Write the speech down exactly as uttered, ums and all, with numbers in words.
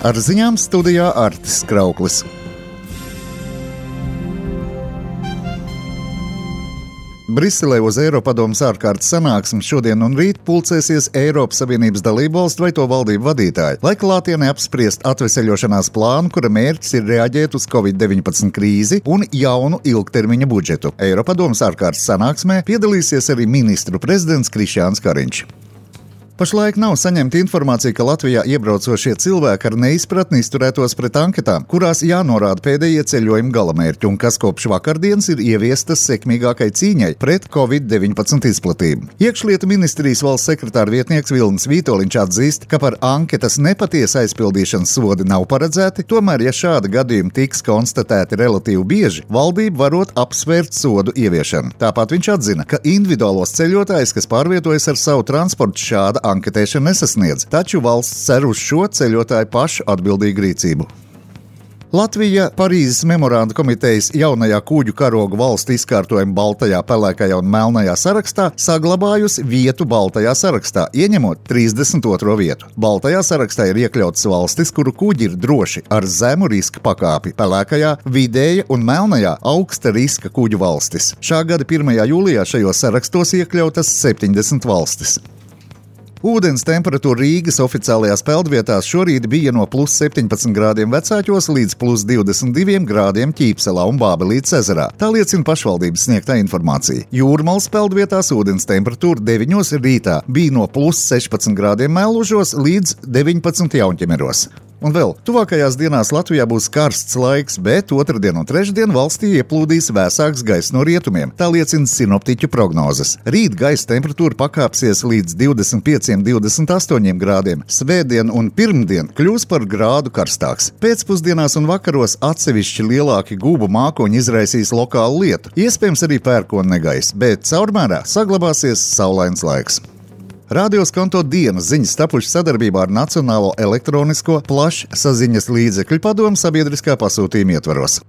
Ar ziņām studijā Artis Krauklis. Briselē uz Eiropadomes ārkārtas sanāksmi šodien un rīt pulcēsies Eiropas Savienības dalībvalstu vai to valdību vadītāji, lai klātienē apspriest atveseļošanās plānu, kura mērķis ir reaģēt uz covid deviņpadsmit krīzi un jaunu ilgtermiņa budžetu. Eiropadomes ārkārtas sanāksmē piedalīsies arī ministru prezidents Krišjāns Kariņš. Pašlaik nav saņemta informācija, ka Latvijā iebraucošie cilvēki ar neizpratni izturētos pret anketām, kurās jānorāda pēdējie ceļojuma galamērķi un kas kopš vakardienas ir ieviestas sekmīgākai cīņai pret covid deviņpadsmit izplatību. Iekšlietu ministrijas valsts sekretāra vietnieks Vilnis Vītoliņš atzīst, ka par anketas nepatiesa aizpildīšanas sodi nav paredzēti, tomēr, ja šādi gadījumi tiks konstatēti relatīvi bieži, valdība varot apsvērt sodu ieviešanu. Tāpat viņš atzina, ka individuālos ceļotājus, kas pārvietojas ar savu transportu, šāda anketēšana nesasniedz, taču valsts cer uz šo ceļotāju pašu atbildīgu rīcību. Latvija Parīzes memoranda komitejas jaunajā kuģu karoga valstu izkārtojuma baltajā, pelēkajā un melnajā sarakstā saglabājusi vietu baltajā sarakstā, ieņemot trīsdesmit otro vietu. Baltajā sarakstā ir iekļautas valstis, kuru kuģi ir droši ar zemu riska pakāpi, pelēkajā, vidēja un melnajā augsta riska kuģu valstis. Šā gada pirmajā jūlijā šajos sarakstos iekļautas septiņdesmit valstis. Ūdens temperatūra Rīgas oficiālajās peldvietās šorīt bija no plus septiņpadsmit grādiem Vecāķos līdz plus divdesmit diviem grādiem Ķīpselā un Bābelītes ezerā. Tā liecina pašvaldības sniegtā informācija. Jūrmalas peldvietās ūdens temperatūra deviņos rītā bija no plus sešpadsmit grādiem Mellužos līdz deviņpadsmit Jaunķemeros. Un vēl, tuvākajās dienās Latvijā būs karsts laiks, bet otrdien un trešdien valstī ieplūdīs vēsāks gaiss no rietumiem. Tā liecina sinoptiķu prognozes. Rīt gaisa temperatūra pakāpsies līdz divdesmit pieciem līdz divdesmit astoņiem grādiem. Svētdien un pirmdien kļūs par grādu karstāks. Pēcpusdienās un vakaros atsevišķi lielāki gūbu mākoņi izraisīs lokālu lietu. Iespējams arī pērkona negaiss, bet caurmērā saglabāsies saulains laiks. Rādios Konto dienas ziņas tapušas sadarbībā ar Nacionālo elektronisko plašsaziņas līdzekļu padomu sabiedriskā pasūtījuma ietvaros.